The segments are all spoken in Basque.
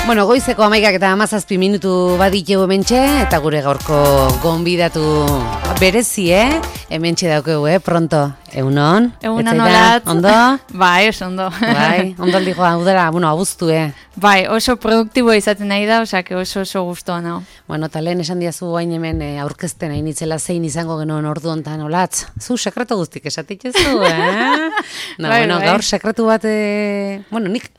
Bueno, goizeko 11:17 baditeu hementxe, eta gure gaurko gonbidatu berezi, hementxe daukegu, pronto. Egunon? Egunon olat. Ondo? Bai, oso ondo. Bai, ondo aldi joa, udara, abuztu, Bai, oso produktibo izaten nahi da, osake oso gustoa nao. Bueno, eta lehen esan diazu hain hemen aurkezten hain itzela zein izango genuen ordu hontan olatz. Zu sekretu guztik esatitzezu, No, bai, bueno, bai. gaur sekretu bat, bueno, nik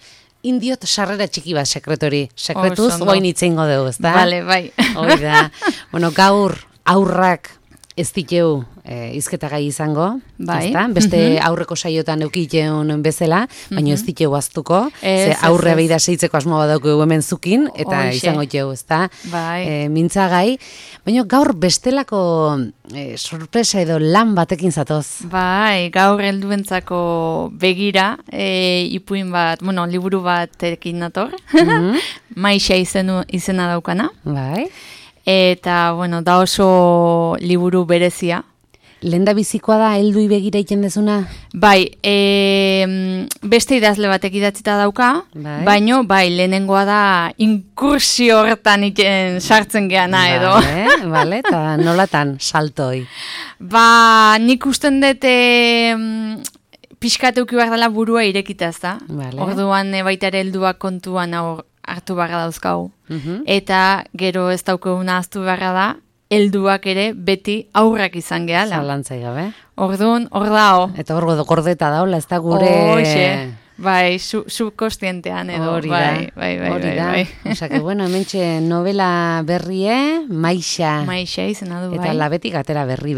indiot sarrera txiki bat sekretori. Sekretuz, Oso ondo. guain itzeingo dugu, ezta? Vale, bai. Hori da. Bueno, gaur aurrak ez diteu izketagai izango, Bai. ezta? Beste aurreko saiotan eukiteun bezala, baina ez diteu aztuko, Ez, ze aurre ez. beida seitzeko asmo badauko hemen zukin, eta Hoxe. izango iteu, ezta? Bai. Mintzagai, baina gaur bestelako sorpresa edo lan batekin zatoz. Bai, gaur helduentzako begira, ipuin bat, bueno, liburu batekin nator, Maixa izena daukana, Bai. eta, bueno, da oso liburu berezia. Lenda bizikoa da helduei begira egiten dezuna? Bai, beste idazle batek idatzita dauka, Bai. baino, bai, lehenengoa da inkursio hortan sartzen geana edo. Vale, eta nolatan saltoi. Ba, nik usten dut pixkat euki behar dela burua irekita, ez da? Vale. Orduan baita ere helduak kontuan hartu beharra dauzkau. Eta gero ez daukaguna ahaztu beharra da, helduak ere beti aurrak izan gehala. Zalantzai gabe. Orduan, hor dao. Eta hor gordeta daula, ez da gure... Hoxe. Bai, subkostientean edo. Hori da. Bai. Osa que, bueno, hementxe novela berrie, Maixa. Maixa izena du, bai. Eta labetik atera berri,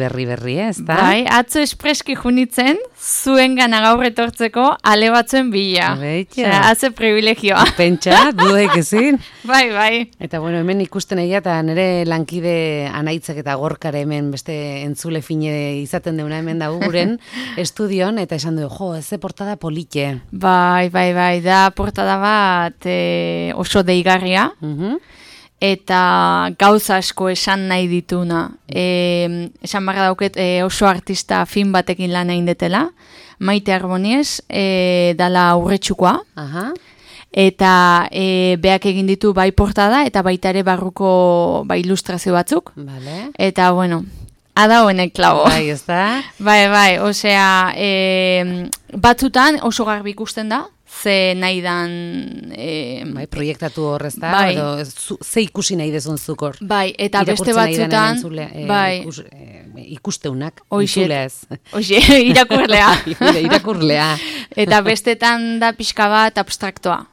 ez da? Bai, atzo espreski junitzen, zuen gana gaur etortzeko ale batzuen bila. Beitio. Osea, atze privilegioa. Pentsa, dudaik ezin. Bai. Eta bueno, hemen ikusten egia eta nire lankide Anaitzak eta Gorkare hemen beste entzule fine izaten deuna hemen da guren estudion, eta esan du, jo, ez portada polite. Bai, da portada bat oso deigarria, eta gauza asko esan nahi dituna. Esan barra dauket oso artista fin batekin lan egin detela, Maite Arboniez, dala urretxukoa, eta beak egin ditu bai portada, eta baita ere barruko ilustrazio batzuk. Vale. Eta, bueno, ada honek klabo. Bai, ez da? Bai, osea, batzutan oso garbi ikusten da, ze nahi dan... Bai, proiektatu horrez da, bai. edo ze ikusi nahi dezun zukor. Bai, eta beste batzutan... Bai. Ikusteunak, entzuleaz. Oixe, irakurlea. Irakurlea. Eta bestetan da pixka bat abstraktoa.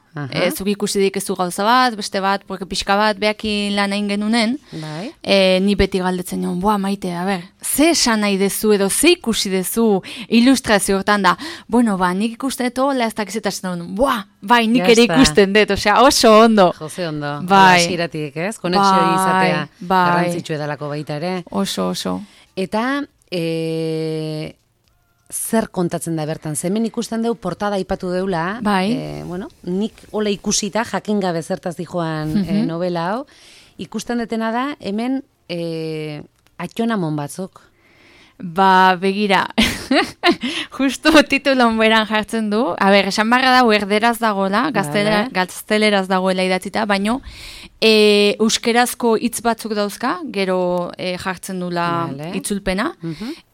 Zuk ikusi dikezu gauza bat, beste bat, porque pixka bat behakin lan egin genunen, bai. Ni beti galdetzen nion, Maite, ze esan nahi dezu edo ze ikusi dezu ilustrazio hortan da, bueno, nik ikusten dut, ez dakizetatzen dut, bai, nik ere ikusten dut, osea, oso ondo. Jose ondo, bai. Asiratik, ez? Konexio izatea, bai. garrantzitsu edalako baita ere. Oso. Eta... zer kontatzen da bertan? Hemen ikusten dugu portada aipatu deula, bai. Bueno, nik hola ikusita, jakin gabe zertaz dijoan novela hau, ikusten detena da, hemen atxonamon batzuk. Ba, begira, justu titulon beran jartzen du, esan barra da, erderaz dagoela, gazteleraz dagoela idatzita, baino, euskerazko hitz batzuk dauzka, gero jartzen dula itzulpena,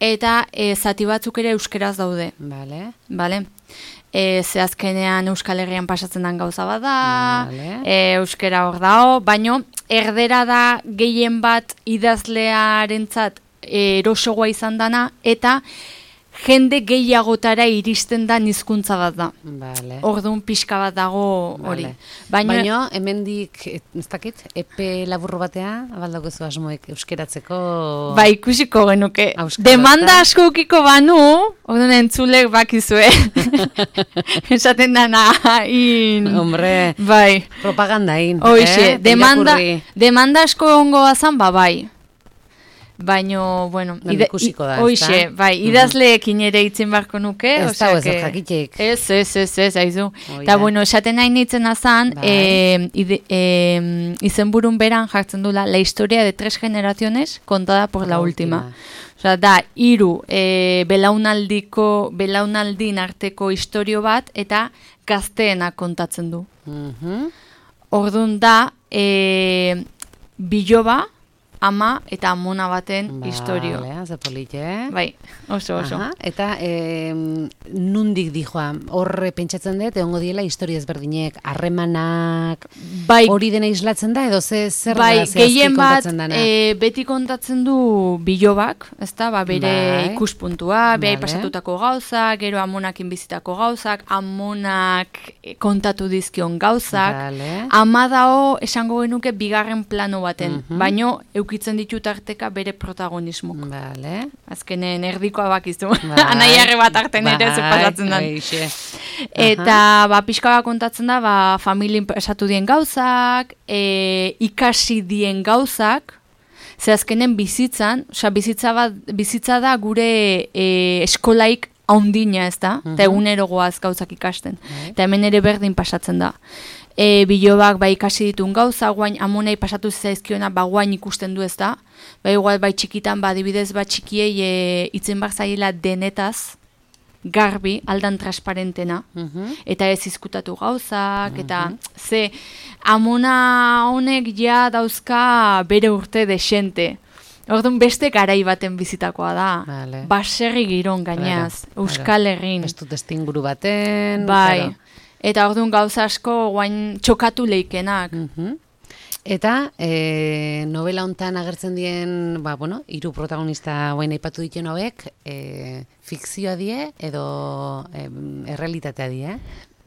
eta zati batzuk ere euskeraz daude. Bale? Ze azkenean Euskal Herrian pasatzen den gauza bat da, euskera hor dao, baino, erdera da gehien bat idazlearentzat erosogoa izan dana, eta jende gehiagotara iristen da hizkuntza bat da. Orduan pixka bat dago hori. Baina, hemendik, ez dakit, epe laburro batea, abaldagozu asmoek euskeratzeko... Ba, ikusiko genuke. Demanda asko ukiko banu, orduan entzulek bakizue. Esaten dana, Hombre, bai. Propagandain. Hoxe, demanda asko ongo azan, bai. Baino, bueno, ikusiko da, hoxe, bai, idazleekin ere itzen barko nuke. Ez da, ez jakitek. Ez, aizu. Eta, bueno, esaten nahi nintzen azan, izenburun beran jartzen dula, la historia de 3 generaciones contada por la última. Osea, da, 3 belaunaldin arteko istorio bat, eta gazteena kontatzen du. Orduan da, biloba, ama eta amona baten historio. Ze polite, Bai, oso. Eta nundik dijoa, hor pentsatzen dut, egongo diela historia ezberdinek, harremanak, hori dena islatzen da, edo zer da zehazki kontatzen dana? Beti kontatzen du bilobak, ezta, bere ikuspuntua, behai pasatutako gauzak, gero amonakin bizitako gauzak, amonak kontatu dizkion gauzak, ama dao esango genuke bigarren plano baten, baino eukitzen ditu tarteka bere protagonismok. Azkenen erdikoa bakizu, anaiarre bat arten ere pasatzen da. Eta pixka bat kontatzen da, familien pasatu dien gauzak, ikasi dien gauzak, ze azkenen bizitzan, bizitza da gure eskolaik haundina, ez da? Eta egunero goaz gauzak ikasten. Eta hemen ere berdin pasatzen da. Bilobak ikasi ditun gauza, guain amonei pasatu zaizkiona, guain ikusten du, ez da? Igual txikitan, adibidez txikiei itzen bar zaila denetaz, garbi, aldan transparentena, eta ez izkutatu gauzak, eta ze amona honek ja dauzka bere urte desente. Orduan beste garai baten bizitakoa da. Baserri giron gainaz, Euskal Herrin. Ez dut estinguru baten. Bai. Eta orduan gauza asko guain txokatu leikenak. Eta novela hontan agertzen dien, hiru protagonista guain aipatu dituen hauek, fikzioa die edo errealitatea die?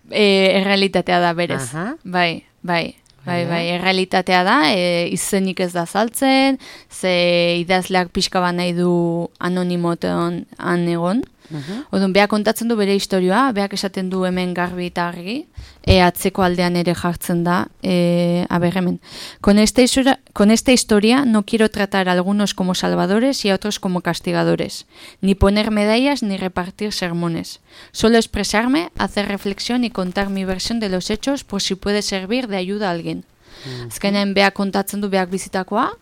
Errealitatea da berez. Bai, errealitatea da, izenik ez da saltzen, ze idazleak pixka bat nahi du anonimotean egon. Odun, beak kontatzen du bere historioa, beak esaten du hemen garbi eta argi, atzeko aldean ere jartzen da, hemen. Con esta historia no quiero tratar a algunos como salvadores y a otros como castigadores, ni poner medallas ni repartir sermones. Solo expresarme, hacer reflexión y contar mi versión de los hechos por si puede servir de ayuda a alguien. Azkenean beak kontatzen du beak bizitakoa,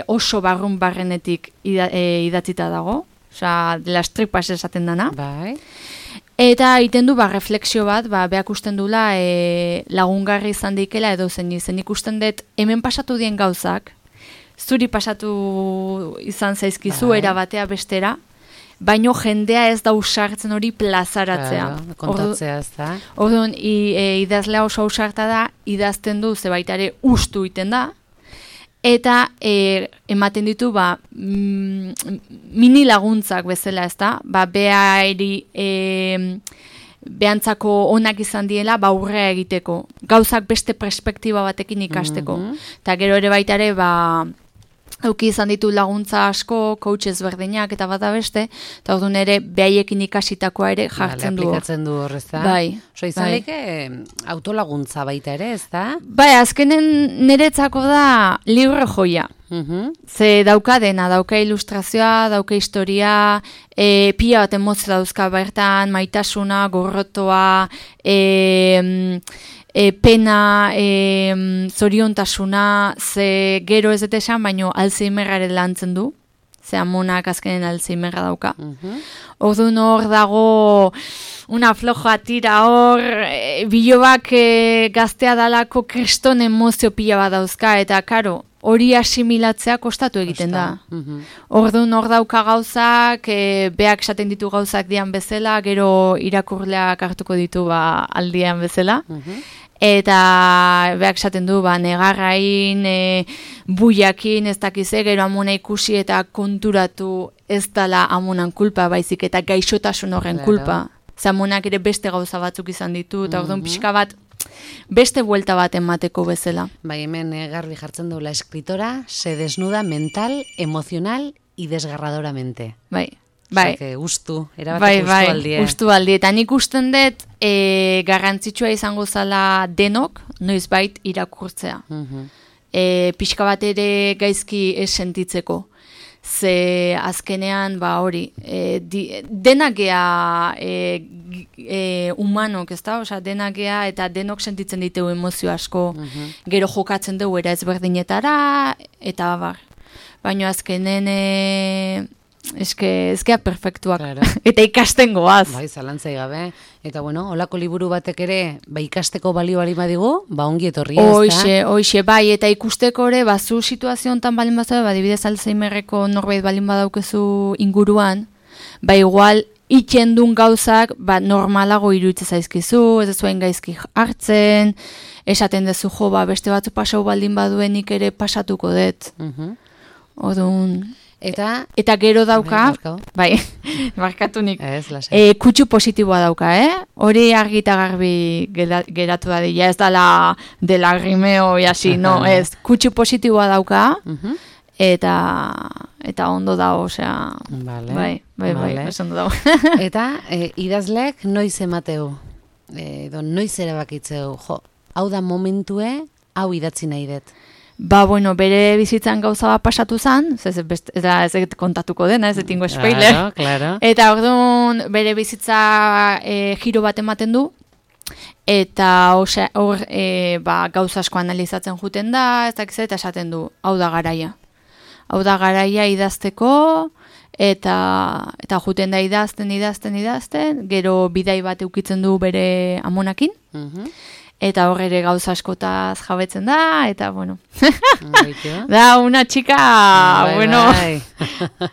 oso barrenetik idatzita dago, oza, de las tripas esaten dana. Eta egiten du refleksio bat, beak usten dula lagungarri izan deikela edo zen ikusten dut hemen pasatu dien gauzak, zuri pasatu izan zaizkizu erabatea bestera, baino jendea ez da usartzen hori plazaratzea. Kontatzea ez da. Orduan, idazlea oso usarta da, idazten du zebaitare ustu iten da, eta ematen ditu mini laguntzak bezala, ez da? Behantzako onak izan diela aurrea egiteko. Gauzak beste perspektiba batekin ikasteko. Eta gero ere baitare auki izan ditu laguntza asko, coach ezberdinak eta bata beste, eta orduan ere behaiekin ikasitakoa ere jartzen du. Aplikatzen du hor, ez da? Bai. Izan leke autolaguntza baita ere, ez da? Bai, azkenen niretzako da libre joia. Ze dauka dena, dauka ilustrazioa, dauka historia, pila bat emozio dauzka bertan, maitasuna, gorrotoa, pena, zoriontasuna, ze gero ez dut esan, baino Alzheimerraren lantzen du, ze amonak azkenen Alzheimerra dauka. Orduan hor dago una floja tira hor, bilobak gaztea dalako kriston emozio pila bat dauzka, eta karo, hori asimilatzea kostatu egiten da. Orduan hor dauka gauzak, beak esaten ditu gauzak dian bezala, gero irakurleak hartuko ditu aldian bezala. Eta beak esaten du, negarrain, buiakin, ez dakize, gero amona ikusi eta konturatu ez dala amonan kulpa, baizik eta gaixotasun horren kulpa. Zamonak ere beste gauza batzuk izan ditu, eta orduan pixka bat, beste buelta bat emateko bezala. Bai, hemen garbi jartzen du, la escritora se desnuda mental, emocional y desgarradoramente. Bai. Bai, ustu, erabateko ustu aldie. Ustu aldie, eta nik usten dut garrantzitsua izango zala denok, noizbait irakurtzea. Pixka bat ere gaizki ez sentitzeko. Ze azkenean, hori, denak gea humanok, ez da? Osa, denak gea eta denok sentitzen ditugu emozio asko, gero jokatzen dugu era ezberdinetara, eta baina azkenen ezkea perfektuak. Claro. Eta ikasten goaz. Bai, zalantzai gabe. Eta bueno, olako liburu batek ere, ikasteko balio bali badigu, ongi etorria, Hoixe, bai, eta ikusteko ere, zu situazio hontan balin bazaude, adibidez Alzheimerreko norbait balin badaukezu inguruan, igual itxendun gauzak, normalago iruditzen zaizkizu, ez zuen gaizki hartzen, esaten dezu beste batzu pasau baldin baduenik ere pasatuko dut. Orduan... Eta gero dauka, barkatu nik, kutsu positiboa dauka, hori argi eta garbi geratu da dira, ez dela grimeo jasi, no, ez, kutsu positiboa dauka, eta ondo da, osea, bai, ez ondo dago. Eta idazlek noiz emateu, noiz erabakitzeu, hau da momentue, hau idatzi nahi dut. Bere bizitzan gauza bat pasatu zen, ez kontatuko dena, ez etingo spoiler. Claro. Eta orduan bere bizitza giro bat ematen du, eta hor gauza asko analizatzen juten da, ez dakiz eta esaten du, hau da garaia. Hau da garaia idazteko, eta juten da idazten, gero bidai bat eukitzen du bere amonakin, eta hor ere gauza askotaz jabetzen da, eta bueno. Da, una chica, bueno,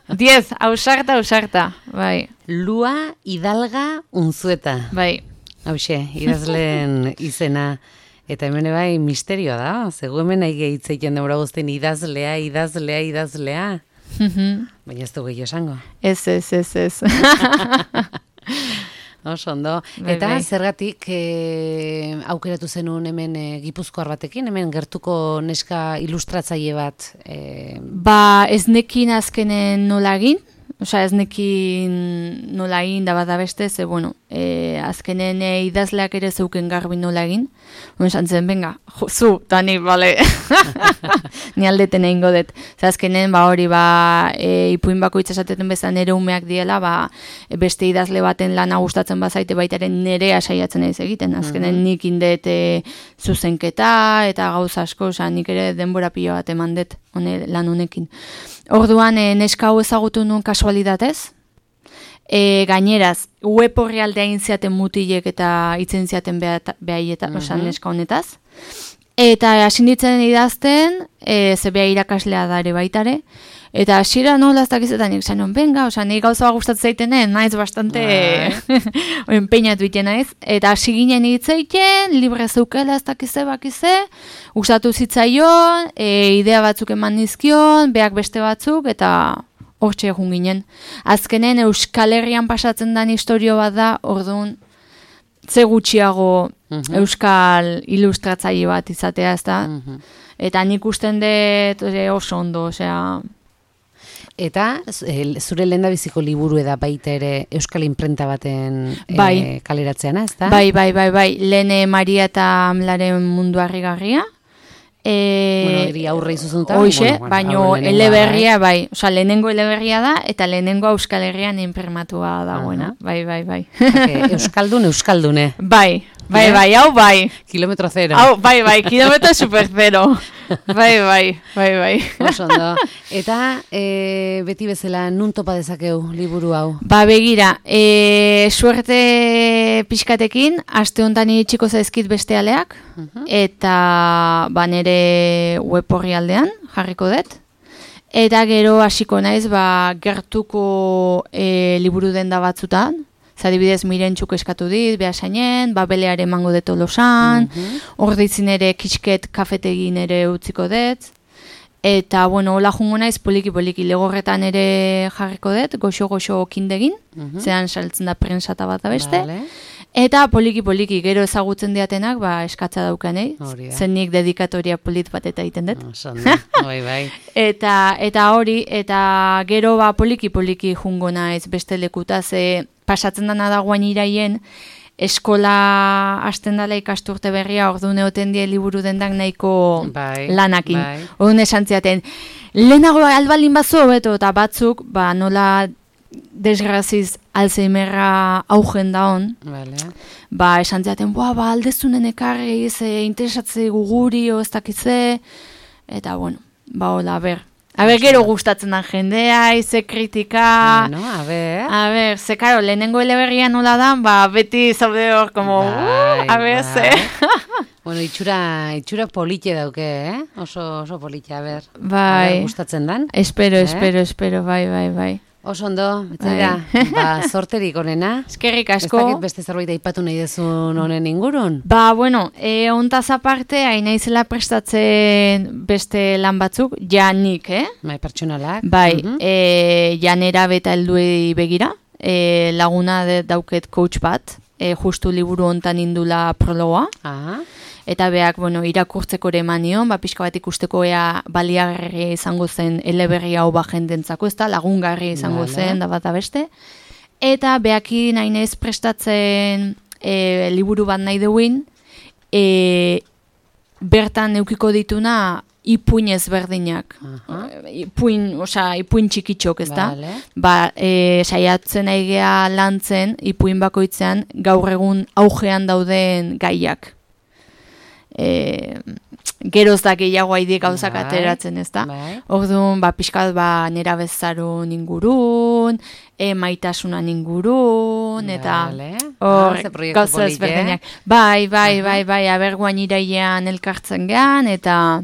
10, ausarta, bai. Lua Hidalga Unzueta. Bai. Hauxe, idazleen izena. Eta hemen bai misterioa da, zegu hemen nahi gehitzeiten demora guztien idazlea. Baina ez du gehiago esango. Ez. Oso ondo. Eta zergatik aukeratu zenuen hemen Gipuzkoar batekin, hemen gertuko neska ilustratzaile bat? Ez nekin azkenen nola egin, ez nekin nola egin da bat da beste, ze azkenen idazleak ere zeuken garbi nola egin. Esan zen, venga, zu, eta ni, bale, ni aldeten egingo dut. Azkenen, hori, ipuin bako itxasateten bezan nere umeak diela, beste idazle baten lana gustatzen bazaite baitaren nerea saiatzen ez egiten. Azkenen nik indet zuzenketa eta gauza asko, nik ere denbora pilo bat eman dut lan honekin. Orduan, neska hau ezagutu nuen kasualidatez, gaineraz, web horri aldea intziaten mutilek eta itzen ziaten behaieta, neska honetaz. Eta hasi ditzen idazten, ze beha irakaslea dare baitare, eta hasiera nola ez dakizetan nik zanon, benga, nik gauza gustatzen zaitenen, naiz bastante empeñatu iten naiz, eta hasi ginen hitzeiten, libre zeukela ez dakize bakize, gustatu zitzaion, idea batzuk eman nizkion, beak beste batzuk, eta hortxe egun ginen. Azkenen Euskal Herrian pasatzen den historio bat da, orduan, ze gutxiago Euskal ilustratzaile bat izatea, ez da? Eta nik usten dut oso ondo, osea... Eta zure lehendabiziko liburu eda baita ere Euskal Imprenta baten kaleratzeana, ez da? Bai. Lehen Maria eta Amlaren mundu harrigarria. Eri aurre izuzunuta. Hoxe, baino eleberria, bai. Osa, lehenengo eleberria da, eta lehenengo Euskal Herrian imprimatua dagoena. Bai. Euskaldune. Bai, hau bai. Kilometro zero. Hau, bai, kilometro super zero. Bai. Oso ondo. Eta beti bezala nun topa dezakeu liburu hau? Begira, suerte pixkatekin, aste honetan iritsiko zaizkit beste aleak, eta nere web horri aldean jarriko dut. Eta gero hasiko naiz, gertuko liburu denda batzutan, zadibidez Mirentxuk eskatu dit, behasainen, beleare emango dut Tolosan, hor ditzin ere Kisket kafetegin ere utziko dut, eta, hola jungo naiz poliki-poliki legorretan ere jarriko dut, goxo-goxo kindegin, zean saltzen da prensata bat da beste, eta poliki-poliki gero ezagutzen diatenak, eskatza daukanei, zen nik dedikatoria polit bat eta egiten dut. Bai. Eta hori, eta gero poliki-poliki jungo naiz beste lekuta, ze pasatzen dana dagoen iraien, eskola hasten dela ikasturte berria, orduan egoten die liburu dendak nahiko lanakin. Orduan esan ziaten, lehenago albalin batzu hobeto, eta batzuk, nola desgraziz Alzheimerra augen daon, esan ziaten, aldezunen ekarri, interesatze guguri, ez dakize, eta hola, Gero gustatzen da jendea, ze kritika... Bueno, ze karo, lehenengo eleberria nola da, beti zaude hor, como, ze... Bueno, itxura polite dauke, Oso polite, Bai. Gustatzen dan. Espero, bai. Oso ondo, betzera, sorterik onena. Eskerrik asko. Ez dakit beste zerbait aipatu nahi dezun honen ingurun? Bueno, ontaz aparte, naizela prestatzen beste lan batzuk, nik, Bai, pertsonalak. Bai, janera beta helduei begira, laguna dauket coach bat, justu liburu hontan indula prologoa. Eta beak, irakurtzeko ere manion, pixka bat ikusteko ea baliagarria izango zen eleberri hau jendentzako, ez da, lagungarria izango zen, da bat beste. Eta beakin nainez prestatzen liburu bat nahi duin, bertan eukiko dituna ipuin ezberdinak. Ipuin txikitxok, ez da? Saiatzen aigea lantzen, ipuin bakoitzean, gaur egun augean dauden gaiak. Geroz da gehiago haidi gauzak ateratzen, ez da? Orduan, pixkat nera bezarun ingurun, maitasunan ingurun, eta gauza ezberdinak. Bai, aberguan iraian elkartzen gean, eta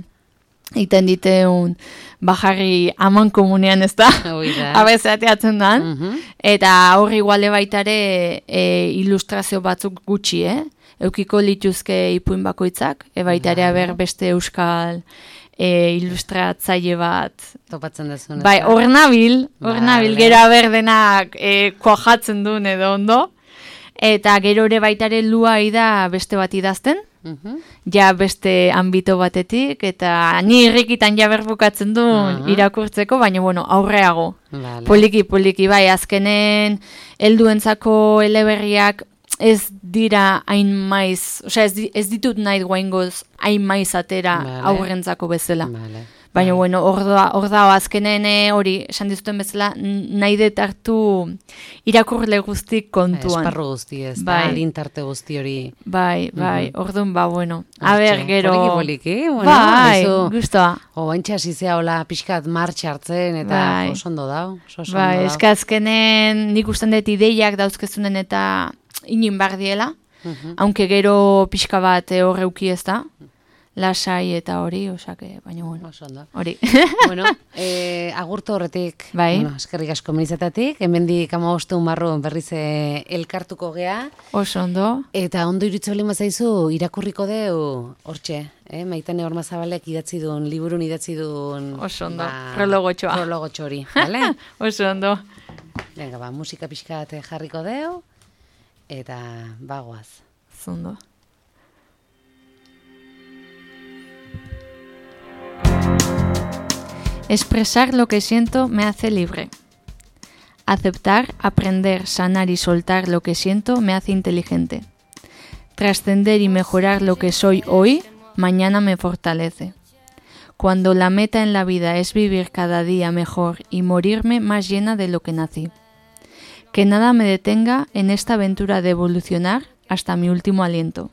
iten diteun bajarri aman komunean, ez da? Abezateatzen dan. Eta horri iguale baitare ilustrazio batzuk gutxi, Eukiko lituzke ipuin bakoitzak, baita ere beste euskal ilustratzaile bat. Topatzen dezun. Bai, hor nabil, gero denak kuajatzen duen edo ondo. Eta gero ere baita ere luai da beste bat idazten, ja beste ambito batetik, eta ni irrikitan ja berbukatzen duen irakurtzeko, baina aurreago. Poliki, bai, azkenen helduentzako eleberriak ez dira hain maiz, ez ditut nahi guaingoz hain maiz atera aurrentzako bezala. Baina, hor da, azkenen hori, esan dizuten bezala, nahi detartu irakurle guztik kontuan. Esparru guzti ez, lintarte guzti hori. Bai, orduan, gero... Poliki, bai, guztua. Baintxe asizea hola pixkat martxa hartzen, eta oso ondo dau. Bai, azkenen nik usten dut ideiak dauzkezunen eta inin bardiela, aunque gero pixka bat horreuki ez da, lasai eta hori, baina hori. Agurto horretik, eskerrik asko menizetatik, hemendik 15 marrun berriz elkartuko gea. Oso ondo. Eta ondo iritzo lima zaizu, irakurriko deu, hortxe, Maitane Ormazabalek liburun idatzi duen... Oso ondo, prologotxoa. Prologotxo hori, bale? Oso ondo. Venga, musika pixkat jarriko deu, eta bagoaz. Zondo. Expresar lo que siento me hace libre. Aceptar, aprender, sanar y soltar lo que siento me hace inteligente. Trascender y mejorar lo que soy hoy, mañana me fortalece. Cuando la meta en la vida es vivir cada día mejor y morirme más llena de lo que nací. Que nada me detenga en esta aventura de evolucionar hasta mi último aliento.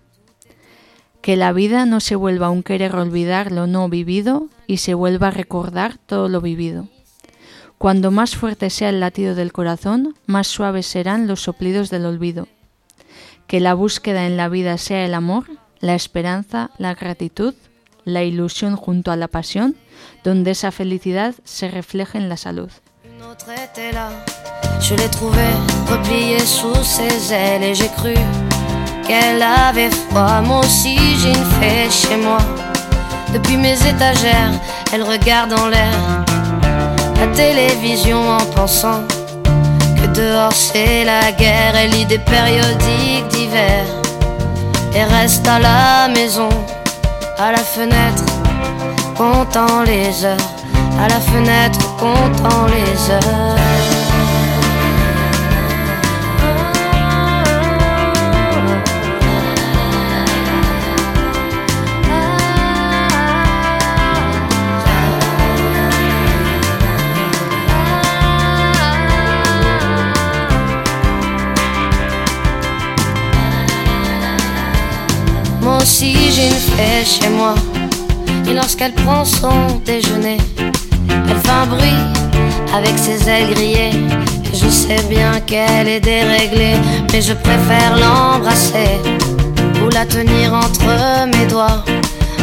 Que la vida no se vuelva un querer olvidar lo no vivido y se vuelva a recordar todo lo vivido. Cuando más fuerte sea el latido del corazón, más suaves serán los soplidos del olvido. Que la búsqueda en la vida sea el amor, la esperanza, la gratitud, la ilusión junto a la pasión, donde esa felicidad se refleje en la salud. Je l'ai trouvée repliée sous ses ailes et j'ai cru qu'elle avait froid. Moi aussi j'ai une fée chez moi. Depuis mes étagères, elle regarde en l'air la télévision en pensant que dehors c'est la guerre. Elle lit des périodiques d'hiver et reste à la maison, à la fenêtre, comptant les heures, à la fenêtre, comptant les heures. Moi aussi j'ai une fée chez moi, et lorsqu'elle prend son déjeuner, elle un bruit avec ses ailes grillées. Et je sais bien qu'elle est déréglée, mais je préfère l'embrasser ou la tenir entre mes doigts.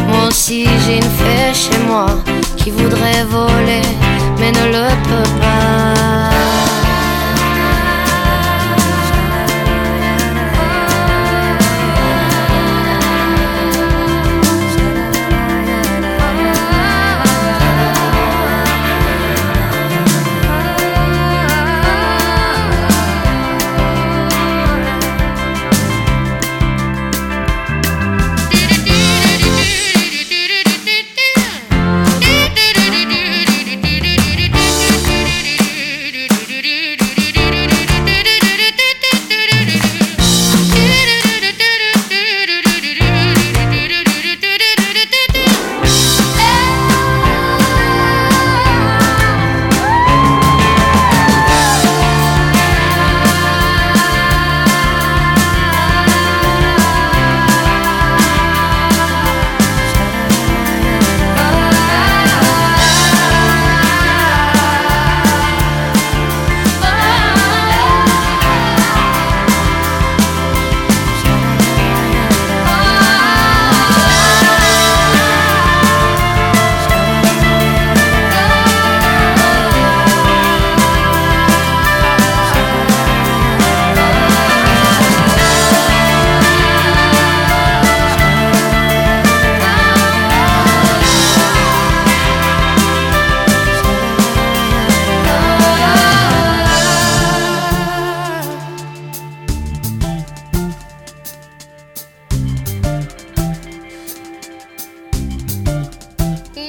Moi aussi j'ai une fée chez moi qui voudrait voler mais ne le peut pas.